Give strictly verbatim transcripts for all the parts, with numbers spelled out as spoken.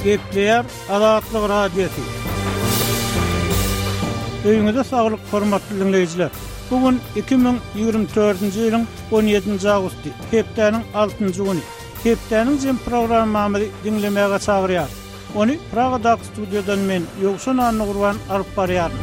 Gepleýär Azatlyk Radiosy. Öýüňize saglyk, hormatly diňleýjiler. Bu gün iki müň ýigrimi dördünji ýylyň on ýedinji awgusty, hepdäniň altynjy güni. Hepdäniň jem programmamyzy diňlemäge çagyrýarys. Ony Pragadaky studiýadan men, Ýowşan Annagurban alyp barýaryn.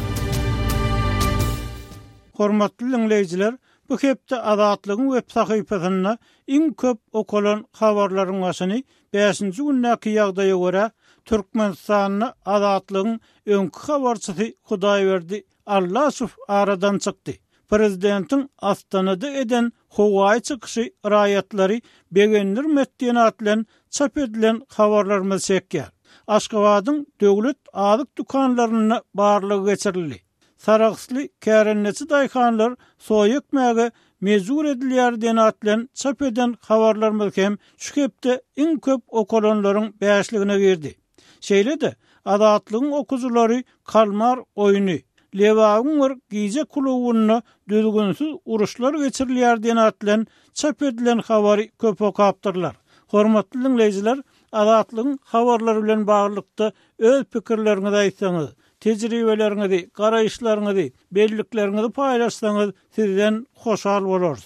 Hormatly diňleýjiler, bu hepde Azatlygyň web sahypasynda iň köp okalan habarlaryň başyny bäşinji gündäki ýagdaýa görä Türkmenistanda Azatlygyň öňki habarçysy Hudaýberdi Allaşow aradan çykdy. Prezidentiň Astanada eden howaýy çykyşy raýatlary begendirmedi diýen at bilen çap edilen habarlarymyz çekýär. Aşgabadyň döwlet azyk dükanlarynda barlag geçirildi. Saragsly kärendeçi daýhanlar soýa ekmäge mejbur edilýär diýen at bilen çap eden habarlarymyz hem şu hepde iň köp okalanlaryň bäşligine girdi. Şeýle-de Azatlygyň okujylary Kalmar oýny, Lebabyň bir gije klubunda düzgünsiz uruşlar geçirilýär diýen at bilen çap edilen habary köp okapdyrlar. Hormatly diňleýjiler, Azatlygyň habarlary bilen baglylykda öz pikirleriňizi aýtsaňyz, tejribeleriňizi, garaýyşlaryňyzy, bellikleriňizi paýlaşsaňyz, sizden hoşal bolarys.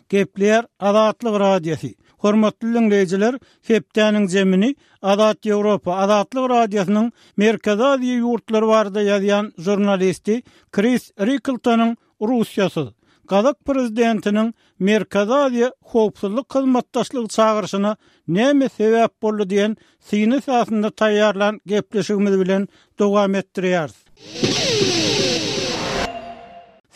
Gepleýär Azatlyk Radiosy. Hormatly diňleýjiler, hepdäniň zemini Azat Ýewropa Azatlyk Radiosynyň Merkezi Aziýa ýurtlary barada ýazýan žurnalisti Kris Rikltonyň Russiýasyz Gazak prezidentiniň Merkezi Aziýa howpsuzlyk hyzmatdaşlygy çagyryşyna näme sebäp boldy diýen syny esasynda taýýarlan gepleşigimiz bilen dowam etdirýäris.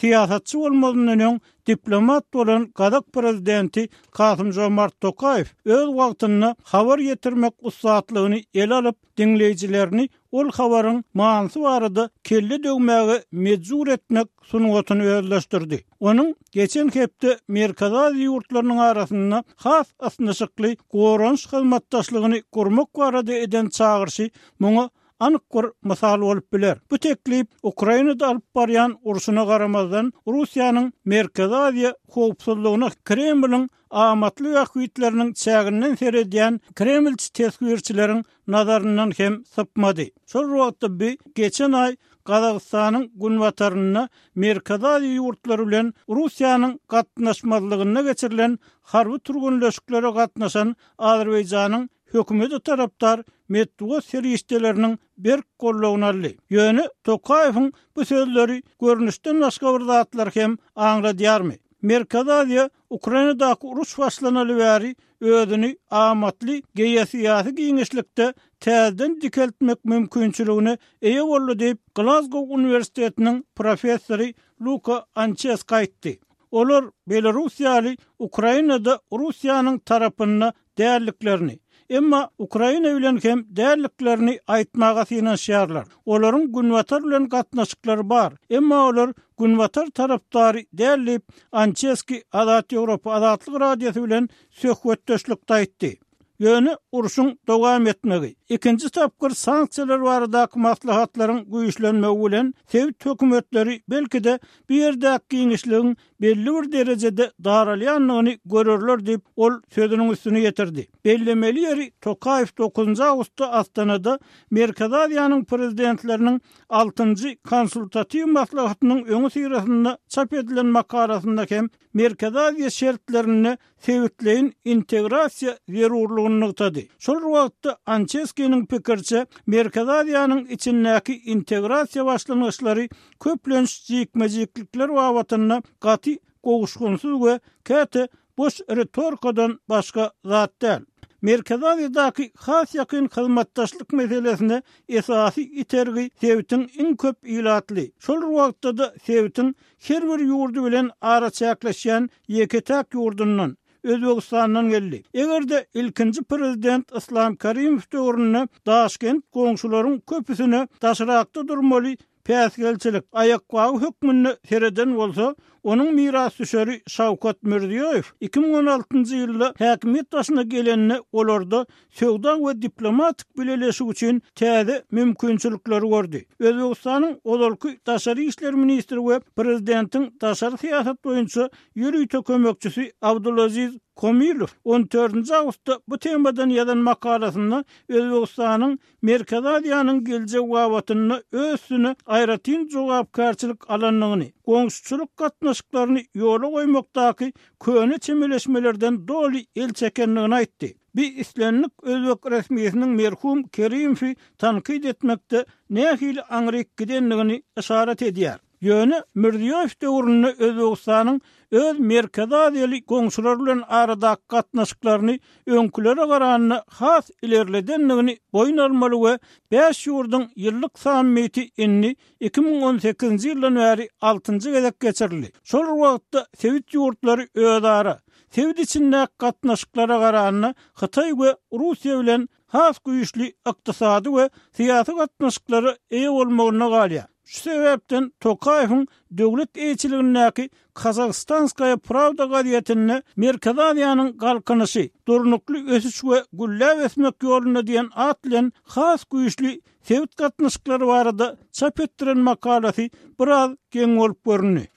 Syýasatçy bolmazyndan öň diplomat bolan Gazak prezidenti Kasym-Žomart Tokaýew öz wagtynda habar ýetirmek ussatlygyny ele alyp, diňleýjilerini ol habaryň manysy barada kelle döwmäge mejbur etmek sungatyny özleşdirdi. Onuň geçen hepde Merkezi Aziýa ýurtlarynyň arasynda has ysnyşykly goranyş hyzmatdaşlygyny gurmak barada eden çagyryşy muňa anyk bir mysal bolup biler. Bu teklip Ukrainada alyp barýan urşuna garamazdan Russiýanyň Merkezi Aziýa howpsuzlygyna Kremliň amatly bähbitleriniň çäginden seredýän Kremlçi teswirçileriň nazaryndan hem sypmady. Şol wagtda bi geçen aý Gazagystanyň günbatarynda Merkezi Aziýa ýurtlary bilen Russiýanyň gatnaşmazlygynda geçirilen harby türgenleşiklere gatnaşan Azerbaýjanyň hökümeti tarapdar metbugat serişdeleriniň berk goldawyny aldy. Ýöne Tokaýewiň bu sözleri görnüşden başga bir zatlar hem aňladýarmy? Merkezi Aziýa Ukrainadaky uruş başlanaly bäri özüni amatly geosyýasy giňişlikde täzeden dikeltmek mümkinçiligine eýe boldy diýip, Glasgow uniwersitetiniň professory Luka Ançeski aýtdy. Olar Belarus ýaly Ukrainada Russiýanyň tarapynda dälliklerini, emma Ukraina bilen hem dälliklerini aýtmaga synanyşýarlar. Olaryň günbatar bilen gatnaşyklary bar, emma olar günbatar tarapdary däl diýip, Ançeski Azat Ýewropa Azatlyk Radiosy bilen söhbetdeşlikde aýtdy. Ýöne urşuň dowam etmegi, ikinji tapgyr sanksiýalar baradaky maslahatlaryň güýçlenmegi bilen sebit hökümetleri belki-de bu ýerdäki giňişligiň belli bir derejede daralýandygyny görerler diýip, ol sözüniň üstüne ýetirdi. Bellemeli ýeri Tokaýew dokuzynjy awgustda Astanada Merkezi Aziýanyň prezidentleriniň altynjy konsultatiw maslahatynyň öňi syrasynda çap edilen makalasynda hem Merkezi Aziýa şertlerinde sebitleýin integrasiýa zerurlygyny nygtady. Şol wagtda Ançeskiniň pikiriçe, Merkezi Aziýanyň içindäki integrasiýa başlangyçlary köplenç jikme-jiklikler babatynda gaty gowuşgynsyz we käte boş ritorikadan başga zat däl. Merkezi Aziýadaky has ýakyn hyzmatdaşlyk meselesine esasy itergi sebitiň iň köp ilatly, şol wagtda-da sebitiň her bir ýurdy bilen araçäkleşýän ýeke-täk ýurdundan, Özbegistandan geldi. Eger-de ilkinji prezident Islam Karimow döwründe Daşkent goňşularyň köpüsine daşrakda durmaly päsgelçilik, aýakbagy hökmünde sereden bolsa, onuň mirasdüşeri Şawkat Mirziýoýew iki müň on altynjy ýylda häkimiýet başyna gelende olarda söwda we diplomatik bileleşik üçin täze mümkinçilikleri gördi. Özbegistanyň ozalky daşary işler ministri we prezidentiň daşary syýasat boýunça ýörite kömekçisi Abdulaziz Komilow on dördünji awgustda bu temadan ýazan makalasynda Özbegistanyň Merkezi Aziýanyň geljegi babatynda öz üstüne aýratyn jogapkärçilik alandygyny, goňşuçylyk gatnaşyklaryny ýola goýmakdaky köne çemeleşmelerden doly el çekendigini aýtdy. Bi islendik özbek resmisiniň merhum Kerimowy tankyt etmekde nähili aňryk gidendigini yşarat edýär. Ýöne Mirziýoýew döwründe Özbegistanyň öz Merkezi Aziýaly goňşulary bilen aradaky gatnaşyklaryny öňkülere garanda has ilerledendigini boýun almaly we bäş ýurduň ýyllyk sammiti indi iki müň on sekizinji ýyldan bäri altynjy gezek geçirildi. Şol bir wagtda sebit ýurtlary özara, sebit içindäki gatnaşyklara garanda Hytaý we Russiýa bilen has güýçli ykdysady we syýasy gatnaşyklara eýe bolmagynda galýar. Şu sebäpden Tokaýewiň döwlet eýeçiligindäki Kazakhstanskaya Pravda gazetinde Merkezi Aziýanyň galkynyşy, durnukly ösüş we gülläp ösmek ýolunda diýen at bilen has güýçli sebit gatnaşyklary barada çap etdiren makalasy biraz geň bolup göründi.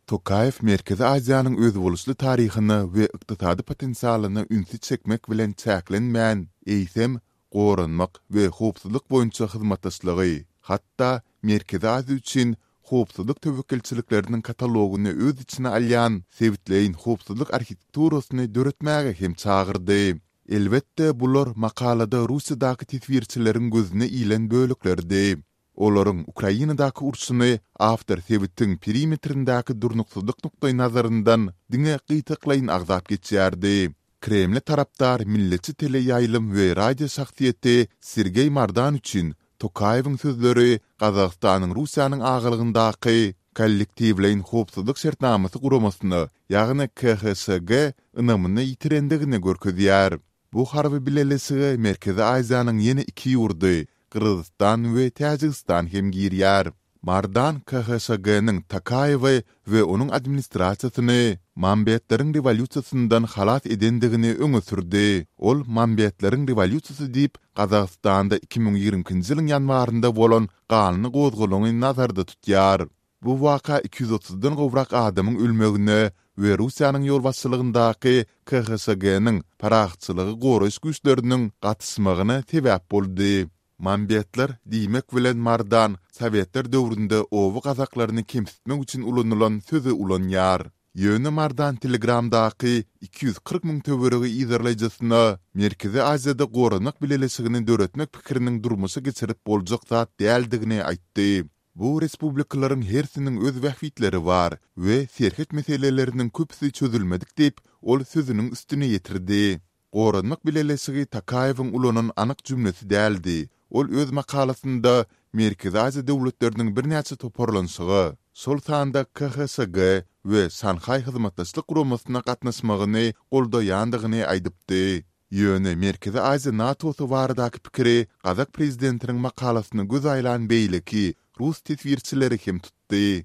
Tokaýew Merkezi Aziýanyň özboluşly taryhyna we ykdysady potensialyna ünsi çekmek bilen çäklenmän, eýsem, goranmak we howpsuzlyk boýunça hyzmatdaşlygy, hatda Merkezi Aziýa üçin howpsuzlyk töwekgelçilikleriniň katalogyny öz içine alýan sebitleýin howpsuzlyk arhitekturasyny döretmäge hem çagyrdy. Elbetde, bular makalada Russiýadaky teswirçileriň gözüne ilen böleklerdi. Olaryň Ukrainadaky urşuny awtor sebitiň perimetrindäki durnuksyzlyk nukdaýnazaryndan diňe gytaklaýyn agzap geçýärdi. Kremle tarapdar milletçi teleýaýlym we radio şahsyýeti Sergeý Mardan üçin Tokaýewiň sözleri Gazagystanyň Russiýanyň agalygyndaky Kollektiwleýin howpsuzlyk şertnamasy guramasyna, ýagny K H Ş G ynamyny ýitirendigini görkezýär. Bu harby bileleşige Merkezi Aziýanyň ýene iki ýurdy, Gyrgyzystan we Täjigistan hem girýär. Mardan K H Ş G-niň Tokaýewi we onuň administrasiýasyny Mambetleriň rewolýusiýasyndan halas edendigini öňe sürdi. Ol Mambetleriň rewolýusiýasy diýip, Gazagystanda iki müň ýigrimi ikinji ýylyň ýanwarynda bolan ganly gozgalaňy nazarda tutýar. Bu waka iki ýüz otuzdan gowrak adamyň ölmegine we Russiýanyň ýolbaşçylygyndaky K H Ş G-niň parahatçylygy goraýyş güýçleriniň gatyşmagyna sebäp boldy. Mambetler diýmek bilen Mardan Sowetler döwründe oba gazaklaryny kemsitmek üçin ulanylan sözi ulanýar. Ýöne Mardan Telegramdaky iki ýüz kyrk müň töweregi yzarlaýjysyna Merkezi Aziýada goranmak bileleşigini döretmek pikiriniň durmuşa geçirip boljak zat däldigini aýtdy. Bu respublikalaryň hersiniň öz bähbitleri bar we serhet meseleleriniň köpüsi çözülmedik diýip, ol sözüniň üstüni ýetirdi. Goranmak bileleşigi Tokaýewiň ulanan anyk jümlesi däldi. Ol öz makalasynda Merkezi Aziýa döwletleriniň birnäçe toparlanyşyga, şol sanda K H Ş G we Şanhaý hyzmatdaşlyk guramasyna gatnaşmagyny goldaýandygyny aýdypdy. Ýöne Merkezi Aziýa NATO-sy baradaky pikiri gazak prezidentiniň makalasyna göz aýlan beýleki rus teswirçileri hem tutdy.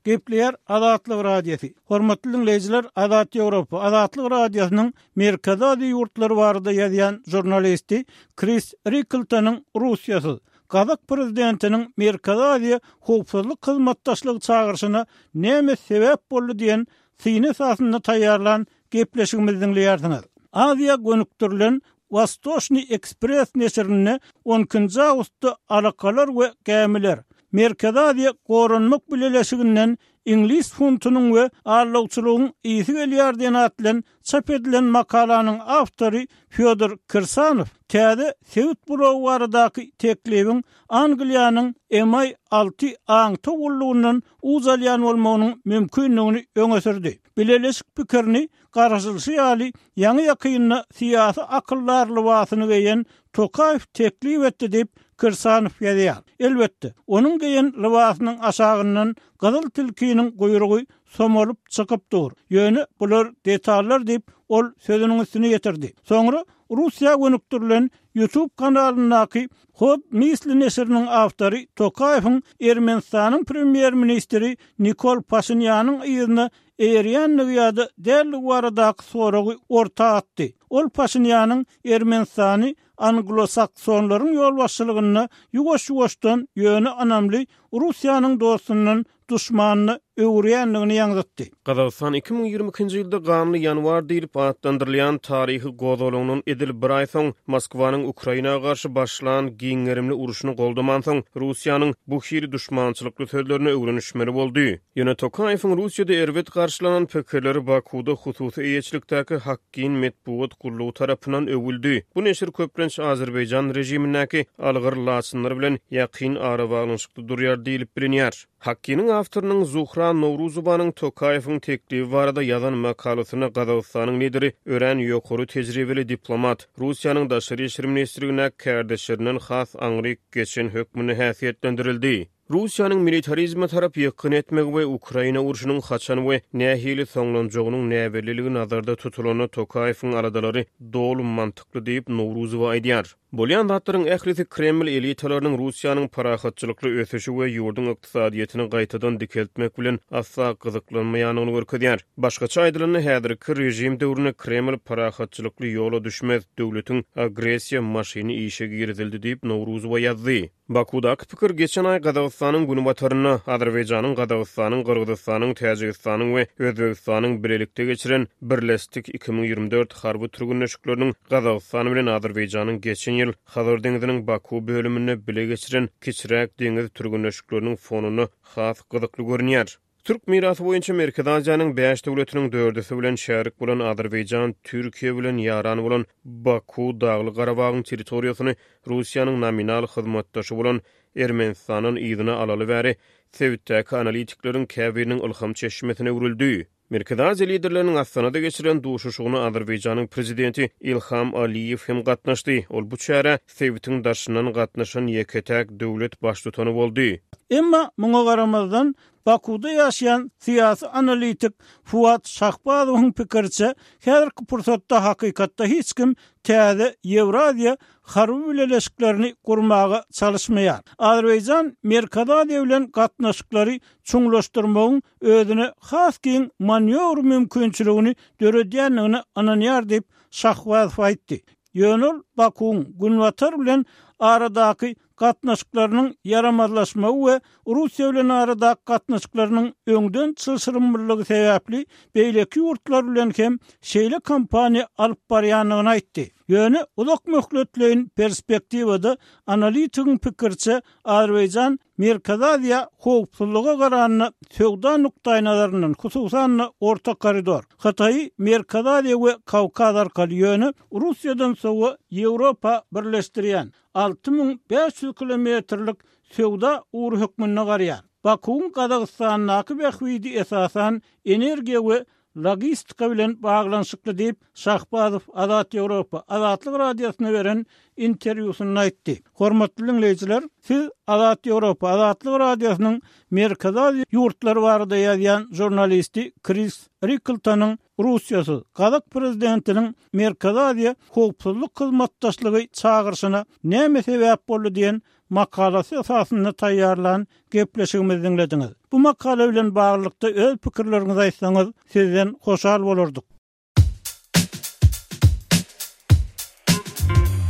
Gepleýär Azatlyk Radiosy. Hormatly dinleýjiler, Azat Ýewropa, Azatlyk Radiosynyň Merkezi Aziýa ýurtlary barada ýazýan žurnalisti Kris Rikltonyň Russiýasyz Gazak prezidentiniň Merkezi Aziýa howpsuzlyk hyzmatdaşlygy çagyryşyna näme sebäp boldy diýen syny esasynda taýýarlan gepleşigimizi diňleýärsiňiz. Aziýa gönükdirilen Wostoçnyý Ekspres neşirinde on ikinji awgustda alakalar we gämiler Merkezi Aziýa goranmak bileleşiginden iňlis funtunyň we aldawçylygyň ysy gelýär diýen at bilen çap edilen makalanyň awtory Fýodor Kirsanow täze sebit blogy baradaky teklibiň Angliýanyň M I alty aňtaw gullugyndan uç alýan bolmagynyň mümkindigini öňe sürdi. Bileleşik pikirini garaşylyşy ýaly ýaňy ýakynda syýasy akyldar lybasyny geýen Tokaýew teklip etdi diýip Kirsanow ýazýar. Elbetde, onuň geýen lybasynyň aşagyndan gyzyl tilkiniň guýrugy somalyp çykyp dur. Ýöne bular detallar diýip, ol sözüniň üstüne ýetirdi. Soňra Russiýa gönükdirilen YouTube kanalyndaky Hod Misli neşiriniň awtory Tokaýewiň Ermenistanyň premýer-ministri Nikol Paşinýanyň yzyna eýerýändigi ýa-da däldigi baradaky soragy orta atdy. Ol Paşinýanyň Ermenistany Anglo-Saksonlaryň ýolbaşçylygynda ýuwaş-ýuwaşdan ýöne ynamly Russiýanyň dostundan duşmanyna öwürýändigini ýaňzytdy. Gazagystan iki müň ýigrimi ikinji ýylda ganly ýanwar diýlip atlandyrylýan taryhy gozgalaňdan edil bir aý soň Moskwanyň Ukraina garşy başlan giň gerimli urşuny goldamansoň Russiýanyň bu hili duşmançylykly sözlerine öwrenişmeli boldy. Ýöne Tokaýewiň Russiýada erbet garşylanan pikirleri Bakuda hususy eýeçilikdäki Hakkin metbugat gullugy tarapyndan öwüldi. Bu neşir köplenç Azerbaýjan režimindäki algyr laçynlar bilen ýakyn arabaglanyşykda durýar diýlip bilinýär. Hakkiniň awtorynyň Zuhra Nowruzowanyň Tokaýewiň teklibi barada ýazan makalasyna Gazagystanyň lideri örän ýokary tejribeli diplomat, Russiýanyň daşary işler ministrligindäki kärdeşlerinden has aňryk geçen hökmünde häsiýetlendirildi. Russiýanyň militarizme tarap ýykgyn etmegi we Ukraina urşunyň haçan we nähili soňlanjagynyň näbelliligi nazarda tutulanda Tokaýewiň aladalary doly mantykly diýip Nowruzowa aýdýar. Bolýan zatlaryň ählisi Kreml elitalarynyň Russiýanyň parahatçylykly ösüşi we ýurduň ykdysadyýetini gaýtadan dikeltmek bilen asla gyzyklanmaýandygyny görkezýär. Başgaça aýdylanda, häzirki režim döwründe Kreml parahatçylykly ýola düşmez, döwletiň agressiýa maşyny işe girizildi diýip Nowruzowa ýazdy. Bakudaky pikir geçen aý Gazagystanyň günbatarynda Azerbaýjanyň, Gazagystanyň, Gyrgyzystanyň, Täjigistanyň we Özbegistanyň bilelikde geçiren Birleşdik iki müň ýigrimi dört harby türgünleşikleriniň Gazagystan bilen Azerbaýjanyň geçen ýyl Hazar deňziniň Baku bölüminde bile geçiren kiçiräk deňiz türgünleşikleriniň fonunda has gyzykly görünýär. Türk mirasy boýunça Merkezi Aziýanyň bäş döwletiniň dördüsi bilen şärik bolan Azerbaýjan, Türkiýe bilen ýaran bolan Baku, Dagly Garabagyň territoriýasyny Russiýanyň nominal hyzmatdaşy bolan Ermenistandan yzyna alaly bäri sebitdäki analitikleriň käbiriniň ylham çeşmesine öwrüldi. Merkezi Aziýa liderleriniň Astanada geçiren duşuşygyna Azerbaýjanyň prezidenti Ilham Aliýew hem gatnaşdy. Ol bu çärä sebitiň daşyndan gatnaşan ýeke-täk döwlet baştutany boldy. Emma muňa garamazdan Bakuda ýaşaýan syýasy analitik Fuat Şahbazowyň pikiriçe, häzirki pursatda hakykatda hiç kim täze Ýewraziýa harby bileleşiklerini gurmaga çalyşmaýar. Azerbaýjan Merkezi Aziýa bilen gatnaşyklary çuňlaşdyrmagyň özüne has giň manýowr mümkinçiligini döredýändigine ynanýar diýip Şahbazow aýtdy. Ýöne ol Bakuwyň Günbatar bilen aradaky gatnaşyklarynyň ýaramazlaşmagy we Russiýa bilen aradaky gatnaşyklarynyň öňden çylşyrymlylygy sebäpli beýleki ýurtlar bilen hem şeýle kampaniýa alyp barýandygyny aýtdy. Ýöne uzak möhletleýin perspektiwada analitigiň pikiriçe Azerbaýjan Merkezi Aziýa howpsuzlyga garanda söwda nukdaýnazaryndan, hususan-da Orta koridor, Hytaýy Merkezi Aziýa we Kawkaz arkaly ýöne Russiýadan sowa Ýewropa birleşdirýän alty müň bäş ýüz kilometrlik söwda ugry hökmünde garýar. Bakuwyň Gazagystandaky bähbidi esasan energiýa we logistika bilen baglanyşykly diýip Şahbazow Azat Ýewropa Azatlyk Radiosyna beren interwýusynda aýtdy. Hormatly dinleýjiler, siz Azat Ýewropa Azatlyk Radiosynyň Merkezi Aziýa ýurtlary barada ýazýan žurnalisti Kris Rikltonyň Russiýasyz Gazak prezidentiniň Merkezi Aziýa howpsuzlyk hyzmatdaşlygy çagyryşyna näme sebäp boldy diýen makalasy esasynda taýýarlan gepleşigimizi diňlediňiz. Bu makala bilen baglylykda öz pikirleriňizi aýtsaňyz, sizden hoşal bolardyk.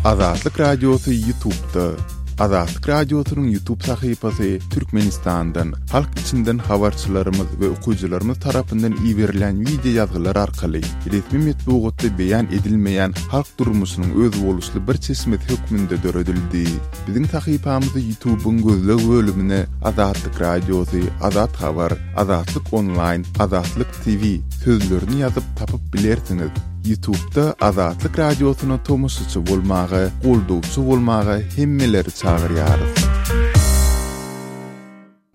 Azatlyk Radiosy YouTube'da. Azatlyk Radiosynyň YouTube sahypasy Türkmenistandan, halk içinden habarçylarymyz we okyjylarymyz tarapyndan iberilen video ýazgylar arkaly resmi metbugatda beýan edilmeýän halk durmuşynyň özboluşly bir çeşmesi hökmünde döredildi. Biziň sahypamyzy YouTube'yň gözleg bölümine Azatlyk Radiosy, Azat Habar, Azatlyk Online, Azatlyk T V sözlerini ýazyp tapyp bilersiňiz. YouTube'da Azatlyk Radiosyna tomaşaçy bolmaga, goldawçy bolmaga hemmeleri çagyrýarys.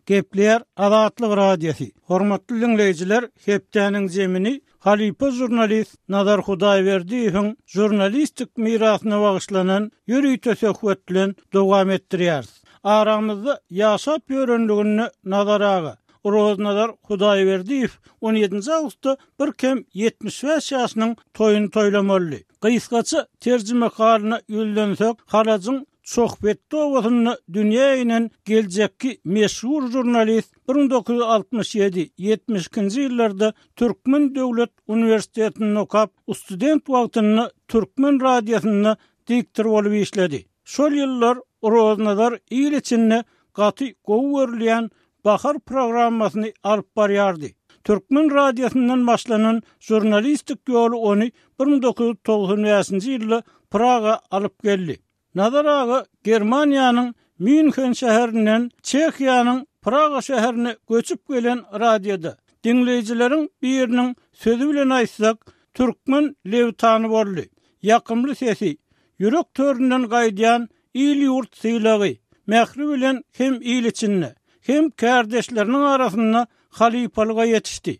Gepler Azatlyk Radiosy. Hormatly dinleýjiler, hepdäniň zemini halypa žurnalist Nazar Hudaýberdiýewiň žurnalistik mirasyna bagyşlanan ýörite söhbet bilen dowam etdirýäris. Aramyzda ýaşap ýörenligini Nazar aga Roznazar Hudaýberdiýew on ýedinji awgustda bir kem ýetmiş bäş ýaşynyň toýuny toýlamaly. Gysgaça terjime halyna ýüzlensek, Halajyň Çohpetde obasynda dünýä inen geljekki meşhur žurnalist bir müň dokuz ýüz altmyş ýedi, ýetmiş ikinji ýyllarda Türkmen döwlet uniwersitetinde okap, student wagtynda Türkmen radiosynda diktor bolup işledi. Şol ýyllar Roznazar il içinde gaty gowy görülýän Bahar programmasyny alyp barýardy. Türkmen radiosyndan başlanan žurnalistik ýoly ony bir müň dokuz ýüz togsan bäşinji ýylda Praga alyp geldi. Nazar aga Germaniýanyň Mýunhen şäherinden Çehiýanyň Praga şäherine göçüp gelen radioda, diňleýjileriň biriniň sözi bilen aýtsak, türkmen lewtany boldy. Ýakymly sesi, ýürek töründen gaýdýan il-ýurt sylagy, mähri bilen hem il içinde, hem kärdeşleriniň arasynda halypalyga ýetişdi.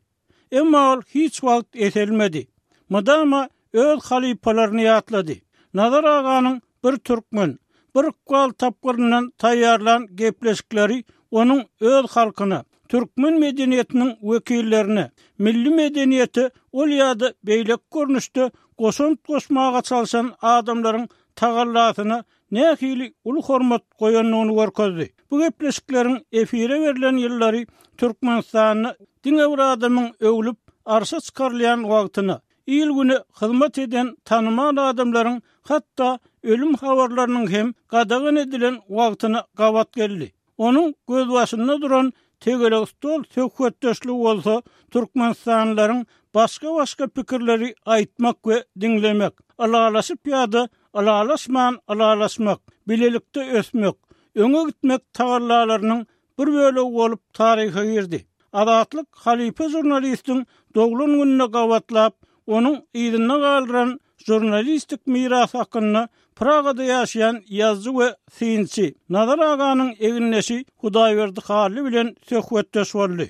Emma ol hiç wagt eselmedi. Mydama öz halypalaryny ýatlady. Nazar aganyň bir türkmen, bir ykbal tapgyryndan taýýarlan gepleşikleri onuň öz halkyna, türkmen medeniýetiniň wekillerine, milli medeniýete ol ýa-da beýleki görnüşde goşant goşmaga çalşan adamlaryň tagallasyna nähili uly hormat goýandygyny görkezdi. Bu gepleşikleriň efire berlen ýyllary Türkmenistanda diňe bir adamyň öwlüp arşa çykarylýan wagtyna, il-güne hyzmat eden tanymal adamlaryň hatda ölüm habarlarynyň hem gadagan edilen wagtyna gabat geldi. Onuň gözbaşynda duran tegelek stol söhbetdeşligi bolsa türkmenistanlylaryň başga-başga pikirleri aýtmak we diňlemek, ylalaşyp ýa-da ylalaşman ylalaşmak, bilelikde ösmek, öňe gitmek tagallalarynyň bir bölegi bolup taryha girdi. Azatlyk halypa žurnalistiň doglan gününe gabatlap, onuň yzynda galdyran žurnalistik mirasy hakynda Pragada ýaşaýan ýazyjy we synçy Nazar aganyň egindeşi Hudaýberdi Hally bilen söhbetdeş boldy.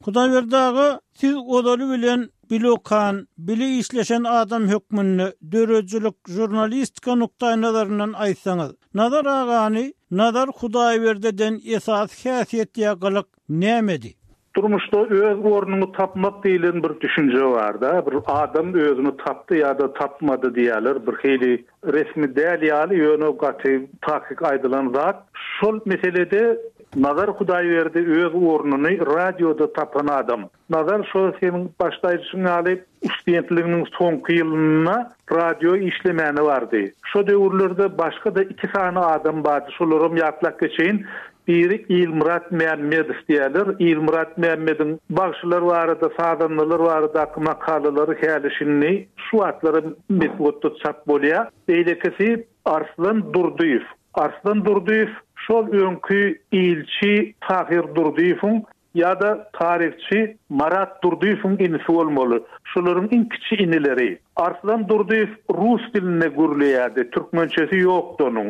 Hudaýberdi aga, siz ozaly bilen bile okan, bile işleşen adam hökmünde döredijilik, žurnalistika nukdaýnazaryndan aýtsaňyz, Nazar agany Nazar Hudaýberdiden esasy häsiýet ýa gylyk nämedi? Durmuşda öz ornuňy tapmak diýlen bir düşünje bar-da, bir adam özüni tapdy ýa-da tapmady diýerler, bir hili resmi däl ýaly, ýöne gaty takyk aýdylan zat. Şol meselede Nazar Hudaýberdi öz ornuny radioda tapan adam. Nazar şol seniň başda aýdyşyň ýaly studentliginiň soňky ýylynda radio işlemäne bardy. Şo döwürlerde başga-da iki sany adam bardy, şolaram ýatlap geçeýin. Biri Ilmyrat Mämmedow diýerler. Ilmyrat Mämmediň bagşylar barada, sazandalar baradaky makalalary häli-şindi şu wagtlara metbugatda çap bolýar. Beýlekisi Arslan Durdyýew. Arslan Durdyýew şol öňki ilçi Tahyr Durdyýewiň ýa-da taryhçy Marat Durdyýewiň inisi bolmaly. Şolaryň iň kiçi inileri. Arslan Durdyýew rus dilinde gürleýärdi, türkmençesi ýokdy onuň.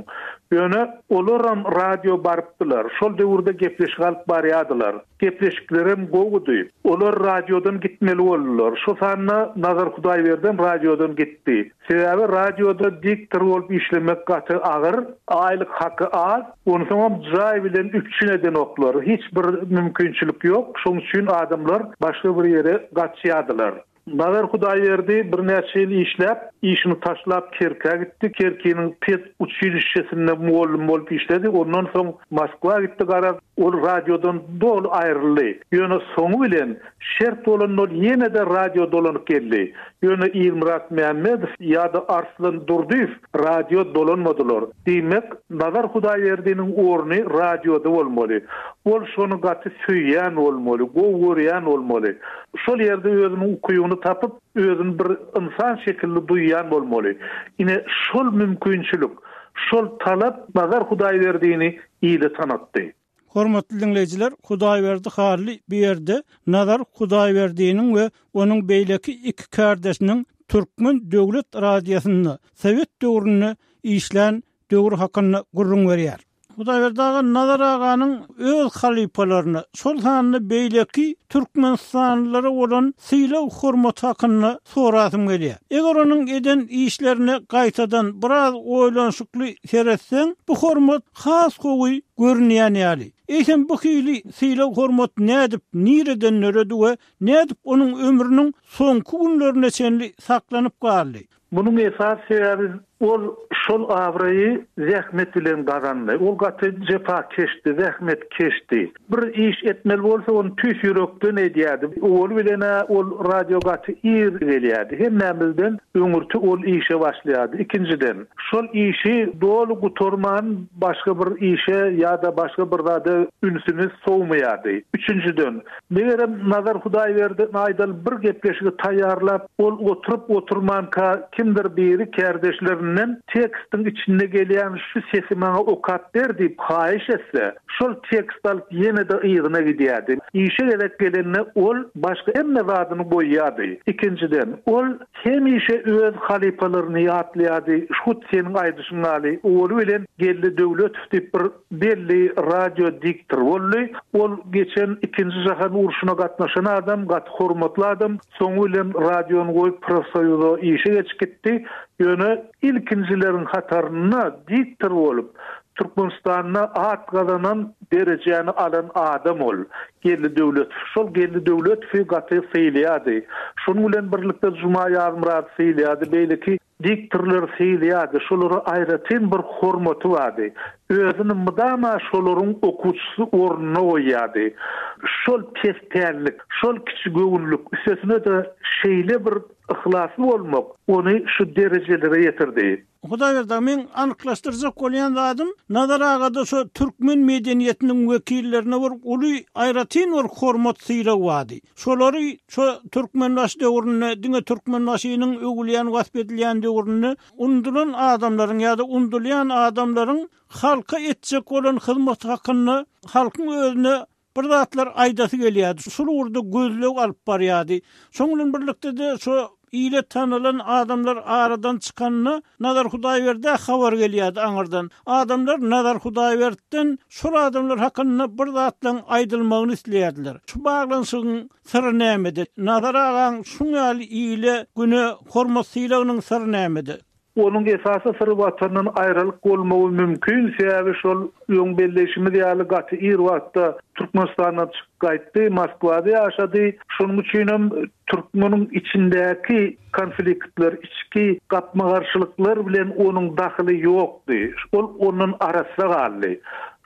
Ýöne olaram radio barypdylar. Şol döwürde gepleşik alyp barýardylar. Gepleşiklerem gowudy. Olar radiodan gitmeli boldular. Şo sanda Nazar Hudaýberdem radiodan gitdi. Sebäbi radioda diktor bolup işlemek gaty agyr, aýlyk haky az, onsoňam jaý bilen üpjün edenoklar. Hiç bir mümkinçilik ýok. Şoň üçin adamlar başga bir ýere gaçýardylar. Nazar Hudaýberdi birnäçe ýyl işläp, işini taşlap Kerkä gitdi. Kerkiniň ped uçilişşesinde mugallym bolup işledi. Ondan soň Moskwa gitdi, garaz, ol radiodan doly aýryldy. Ýöne soňy bilen şert bolanda ol ýene-de radio dolanyp geldi. Ýöne Ilmyrat Mämmedow ýa-da Arslan Durdyýew radio dolanmadylar. Diýmek, Nazar Hudaýberdiniň orny radioda bolmaly. Ol şony gaty söýýän bolmaly, gowy görýän bolmaly. Şol ýerde özüniň ukybyny tapyp, özüni bir ynsan şekilli duýýan bolmaly. Ine, şol mümkinçilik, şol talap Nazar Hudaýberdini ile tanatdy. Hormatly diňleýjiler, Hudaýberdi Hally bu ýerde Nazar Hudaýberdiniň we onuň beýleki iki kärdeşiniň Türkmen döwlet radiosynda sowet döwründe işlän döwri hakynda gürrüň berýär. Hudaýberdi aga Nazar aganyň öz halypalaryna, şol sanda beýleki türkmenistanlylara bolan sylag hormaty hakynda sorasym gelýär. Eger onuň eden işlerine gaýtadan biraz oýlanyşykly seretseň, bu hormat has gowy görünýän ýaly. Eýsem bu hili sylag hormat nädip, nireden döredi we nädip onuň ömrüniň soňky günlerine çenli saklanyp galdy? Munuň esasy sebäbi Ol şol abraýy zähmet bilen gazandy. Ol gaty jepakeşdi, zähmetkeşdi. Bir iş etmeli bolsa ony tüýs ýürekden edýärdi. Owal bilen ol radio gaty ir gelýärdi. Hemmämizden öňürti ol işe başlaýardy. Ikinjiden, şol işi doly gutarman başga bir işe ýa-da başga bir zada ünsüni sowmaýardy. Üçünjiden, megerem Nazar Hudaýberdi aýdal bir gepleşigi taýýarlap, ol oturyp oturmanka kimdir biri kärdeşlerinden tekstiň içinde gelýän şu sesi maňa okap ber diýip haýyş etse, şol tekst alyp ýene-de yzyna gidýärdi. Işe gezek gelende ol başga hemme zadyny goýýardy. Ikinjiden, ol hemişe öz halypalaryny ýatlaýardy. Hut seniň aýdyşyň ýaly, owaly bilen Geldi Döwletow diýip bir belli radio diktor boldy. Ol geçen ikinji jahan urşuna gatnaşan adam, gaty hormatly adam. Soňy bilen radiony goýup profsoýuza işe geçip gitdi. Ýöne ilkinjileriň hatarynda diktor bolup Türkmenistanda at gazanan derejäni alan adam ol. Geldi Döwletow. Şol Geldi Döwletowy gaty sylaýardy. Şonuň bilen birlikde Juma Ýazmyrat sylaýardy, beýleki diktorlar sylaýardy. Şolara aýratyn bir hormaty bardy. Özüni mydama şolaryň okuwçysy ornuna goýýardy. Şol pespällik, şol kiçi göwünlik, üstesine-de şeýle bir yhlasly bolmak ony şu derejelere ýetirdi. Hudaýberdi, men anyklaşdyrjak bolýan zadym, Nazar agada şu türkmen medeniýetiniň wekillerine bir uly aýratyn bir hormat sylag bardy. Şolary şu Türkmenbaşy döwründe, diňe Türkmenbaşynyň öwülýän wasp edilýän döwründe undulan adamlaryň ýa-da undulýan adamlaryň halka etjek bolan hyzmaty hakynda halkyň özüne bir zatlar aýdasy gelýärdi. Şol ugurda gözleg alyp barýardy. Şonuň bilen birlikde-de şu ile tanylan adamlar aradan çykanda Nazar Hudaýberdä habar gelýärdi aňyrdan. Adamlar Nazar Hudaýberdden şol adamlar hakynda bir zatlaryň aýdylmagyny isleýärdiler. Şu baglanyşygyň syry nämede? Nazar agaň şuň ýaly ile güne hormat sylagynyň syry nämede? Onuň esasy syry watandan aýralyk bolmagy mümkin, sebäbi şol öň belleýşimiz ýaly gaty ir wagtda Türkmenistandan çykyp gaýtdy, Moskwada ýaşady. Şonuň üçin hem türkmeniň içindäki konfliktler, içki gapma-garşylyklar bilen onuň dahyly ýokdy. Ol ondan arassa galdy.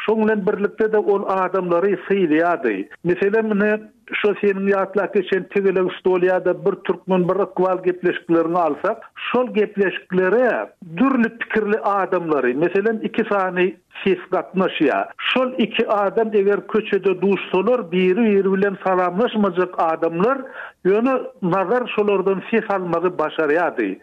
Şonuň bilen birlikde-de ol adamlary sylaýardy. Meselem, ine, şo seniň ýatlap geçen tegelek stol ýa-da bir türkmen bir ykbal gepleşiklerini alsak, şol gepleşiklere dürli pikirli adamlary, meselem, iki sany ses gatnaşýar. Şol iki adam eger köçede duşsalar, biri-biri bilen salamlaşmajak adamlar, ýöne Nazar şolardan ses almagy başarýardy.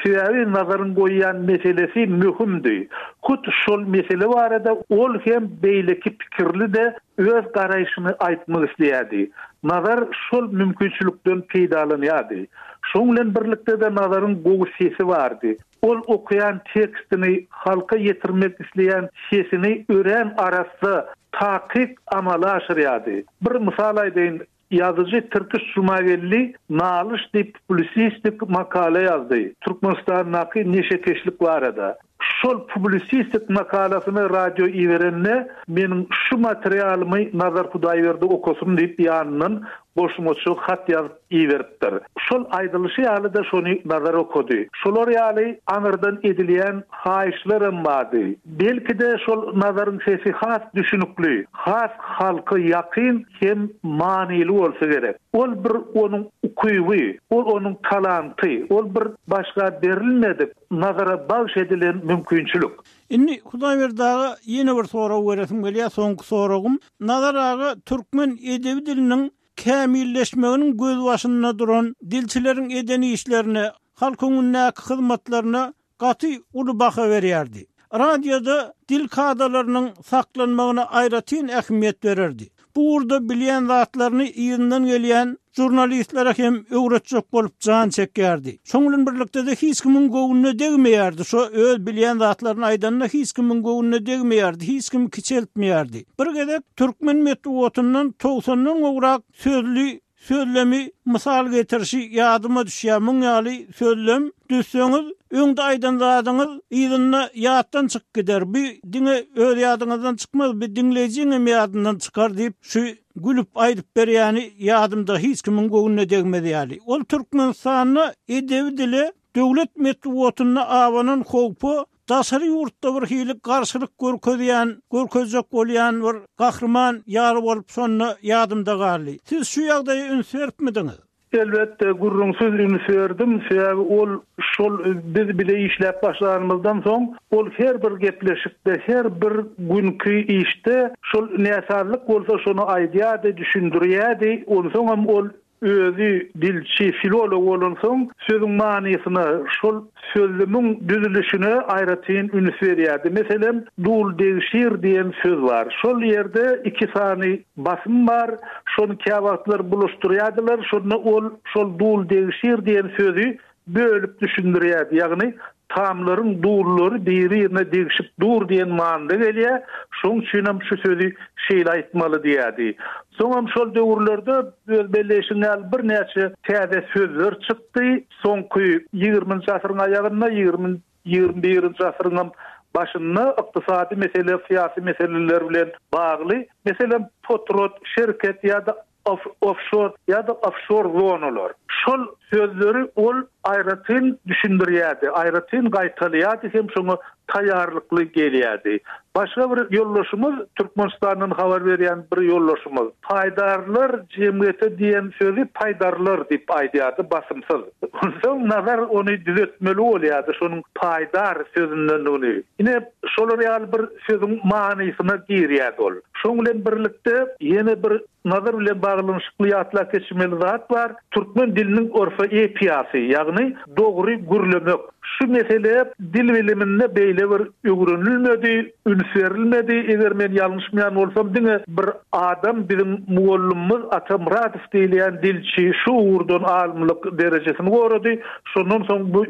Sebäbi Nazaryň goýýan meselesi möhümdi. Hut şol mesele barada ol hem beýleki pikirli-de öz garaýşyny aýtmak isleýärdi. Nazar şol mümkinçilikden peýdalanýardy. Şonuň bilen birlikde-de Nazaryň gowy sesi bardy. Ol okaýan tekstini halka ýetirmek isleýän sesini örän arassa, takyk amala aşyrýardy. Bir mysal aýdaýyn, ýazyjy Tirkiş Jumageldi Nalyş diýip publisistik makala ýazdy Türkmenistandaky neşekeşlik barada. Şol publisistik makalasyny radio iberende meniň şu materialymy Nazar Hudaýberdi okasyn diýip ýanyndan goşmaça hat ýazyp iberipdir. Şol aýdylyşy ýaly-da şony Nazar okady. Şolar ýaly aňyrdan edilýän haýyşlaram bardy. Belki-de şol Nazaryň sesi has düşünikli, has halka ýakyn hem manyly bolsa gerek. Ol bir onuň ukyby, ol onuň talanty, ol bir başga berilmedik, Nazara bagş edilen mümkinçilik. Indi Hudaýberdi aga ýene bir sorag beresim gelýär, soňky soragym. Nazar aga türkmen edebi diliniň kämilleşmeginiň gözbaşynda duran dilçileriň eden işlerine, halk öňündäki hyzmatlaryna gaty uly baha berýärdi. Radioda dil kadalarynyň saklanmagyna aýratyn ähmiýet bererdi. Bu ugurda bilýän zatlaryny yzyndan gelýän žurnalistlere hem öwretjek bolup jan çekýärdi. Şonuň bilen birlikde-de hiç kimiň göwnüne degmeýärdi. Şo öz bilýän zatlaryny aýdanda hiç kimiň göwnüne degmeýärdi, hiç kimi kiçeltmeýärdi. Bir gezek türkmen metbugatyndan togsandan gowrak sözli sözlemi mysal getirişi ýadyma düşýär. Muň ýaly sözlem düzseňiz, öňde aýdan zadyňyz yzynda ýatdan çykyp gider. Bu diňe öz ýadyňyzdan çykmaz, bu diňleýjiň hem ýadyndan çykar diýip, şu gülüp aýdyp berýäni ýadymda hiç kimiň göwnüne degmez ýaly. Ol Türkmenistanda edebi dile döwlet metbugatynda abanan howpa daşary ýurtda bir hili garşylyk görkezýän, görkezjek bolýan bir gahryman ýaly bolup şonda ýadymda galdy. Siz şu ýagdaýa üns beripmidiňiz? Elbetde, gürrüňsiz üns berdim. Sebäbi ol şol biz bile işläp başlanymyzdan soň ol her bir gepleşikde, her bir günki işde şol näsazlyk bolsa şony aýdýardy, düşündirýärdi. Onsoňam ol özi dilçi, filolog bolansoň sözüň manysyna, şol sözlümiň düzülişine aýratyn üns berýärdi. Meselem, dul degşir diýen söz bar. Şol ýerde iki sany basym bar. Şony käwagtlar bulaşdyrýardylar. Şonda ol şol dul degşir diýen sözi bölüp düşündirýärdi. Ýagny tamlaryň dullary biri-birine degşip dur diýen manyda gelýär. Şoň üçin hem şu sözi şeýle aýtmaly diýärdi. Soňam şol döwürlerde öz belleýşiň ýaly birnäçe täze sözler çykdy. Soňky ýigriminji asyryň aýagynda, ýigrimi, ýigrimi birinji asyryň başynda ykdysady mesele, syýasy meseleler bilen bagly, meselem, potrat, şerket ýa-da off-, offshore ýa-da offshore zonalar. Şol sözleri ol aýratyn düşündirýärdi, aýratyn gaýtalýardy hem şoňa taýýarlykly gelýärdi. Başga bir ýoldaşymyz, Türkmenistandan habar berýän bir ýoldaşymyz, paýdarlar jemgyýeti diýen sözi paýdarlar diýip aýdýardy basymsyz. Onsoň Nazar ony düzetmeli bolýardy, şonuň paýdar sözündendigini. Ine, şolar ýaly bir sözüň manysyna girýärdi ol. Şoň bilen birlikde ýene bir Nazar bilen baglanyşykly ýatlap geçmeli zat bar. Türkmen diliniň orfoepiýasy, ýagny dogry gürlemek. Şu mesele dil biliminde beýle bir öwrenilmedi, üns berilmedi. Eger men ýalňyşmaýan bolsam, diňe bir adam biziň mugallymymyz Ata Muradow diýilýän dilçi şu ugurdan alymlyk derejesini gorady. Şondan soň bu,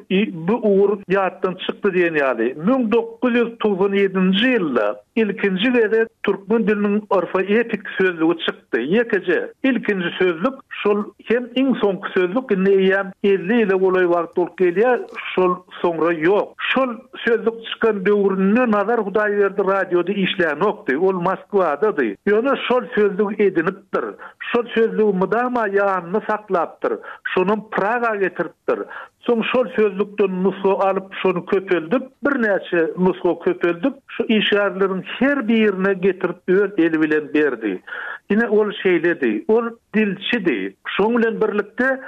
bu ugur ýatdan çykdy diýen ýaly. Müň dokuz ýüz togsan ýedinji ýylda ilkinji gezek türkmen diliniň orfoepik sözlügi çykdy. Ýekeje ilkinji sözlük şol hem iň soňky sözlük indi eýýäm elli ýyla golaý wagt bolup gelýär, şol soňra ýok. Şol sözlük çykan döwründe Nazar Hudaýberdi radioda işlänokdy, ol Moskwadady. Ýöne şol sözlügi edinipdir. Şol sözlügi mydama ýanynda saklapdyr. Şonam Praga getiripdir. Soň şol sözlükden nusga alyp, şony köpeldip, birnäçe nusga köpeldip, şu işgärleriň her birine getirip öz eli bilen berdi. Ine ol şeýledi. Ol dilçidi. Şoň bilen birlikde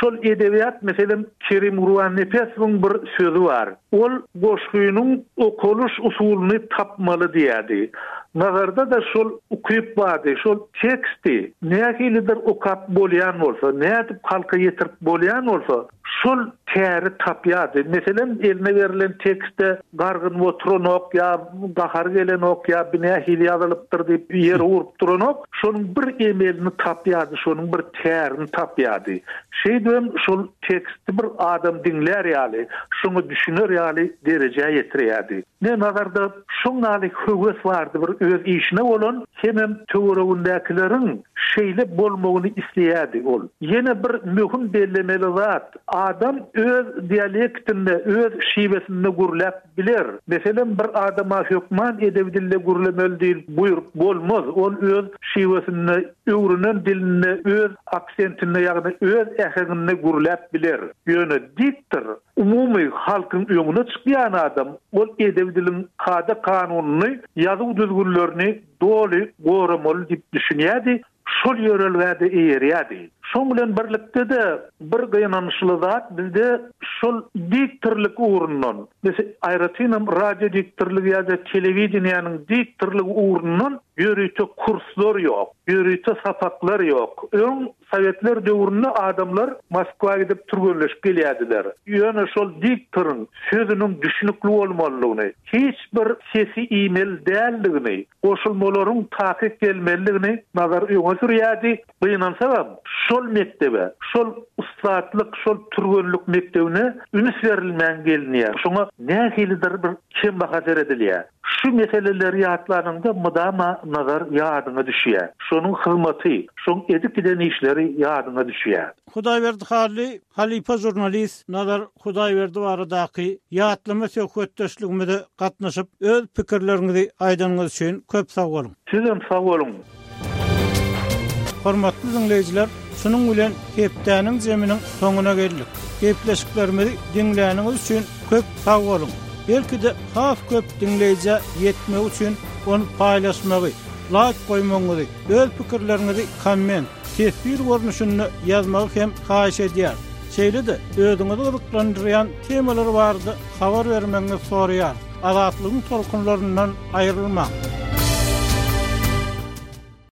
şol edebiýat, meselem, Kerim Gurbannepesowyň bir sözi bar. Ol goşgynyň okalyş usulyny tapmaly diýärdi. Nazarda da şol ukyp bardy, şol teksti nähilidir okap bolýan bolsa, nädip halka ýetirip bolýan bolsa, şol täri tapýardy. Meselem, eline berlen tekste gargyn oturanok ýa gahar gelenok ýa binähili ýazylypdyr diýip ýere urup duranok, şonuň bir emelini tapýardy, şonuň bir tärini tapýardy. Şeýdibem şol teksti bir adam diňlär ýaly, şoňa düşüner ýaly derejä ýetirýärdi. Ne nazarda şoň ýaly höwes bardy bir öz işine bolan, hemem töweregindäkileriň şeýle bolmagyny isleýärdi ol. Ýene bir möhüm bellemeli zat, adam öz dialektinde, öz şiwesinde gürläp biler. Meselem, bir adama hökman edebi dilde gürlemeli diýip buýrup bolmaz. Ol öz şiwesinde, öwrenen dilinde, öz aksentinde, ýagny öz äheňinde gürläp biler. Ýöne diktor, umumy halkyň öňüne çykýan adam, ol edebi diliň kada kanunyny, ýazuw düzgünlerini doly goramaly diýip düşünýärdi. Şol ýörelgäde eýerýärdi. Şoň bilen birlikde de bir gynançly zat bizde şol diktorlyk ugrundan, mesela aýratynam radio diktorlygy ýa-da telewideniýäniň diktorlygy ugrundan ýörite kurslar ýok, ýörite sapaklar ýok. Öň Sowetler döwründe adamlar Moskwa gidip türgenleşip gelýärdiler. Ýöne şol diktoryň sözüniň düşünikli bolmalydygyny, hiç bir sesi iýmeli däldigini, goşulmalaryň takyk gelmelidigini nazar öňe sürýärdi. Gynansagam şol mekdebe, şol ussatlyk, şol türgenlik mekdebine üns berilmän gelinýär. Şoňa nähilidir bir kembaha seredilýär. Şu meseleleri ýatlananda mydama nazar ýadyňa düşýär. Şonuň hyzmaty, şoň edip giden işleri ýadyňa düşýär. Hudaýberdi Hally, halypa jurnalist Nazar Hudaýberdi baradaky ýatlama söhbetdeşligimize gatnaşyp, öz pikirleriňizi aýdanyňyz üçin köp sag boluň. Sizem sag boluň. Hormatly dinleýjiler, Şunuň bilen hepdäniň zeminiň soňuna geldik. Gepleşiklerimizi diňläniňiz üçin köp sag boluň. Belki-de has köp diňleýjä ýetmegi üçin ony paýlaşmagy, laýk goýmagyňyzy, öz pikirleriňizi komment, teswir görnüşinde ýazmagy hem haýyş edýär. Şeýle-de özüňizi gyzyklandyrýan temalar barada habar bermegiňizi soraýar. Azatlygyň tolkunlaryndan aýrylmaň.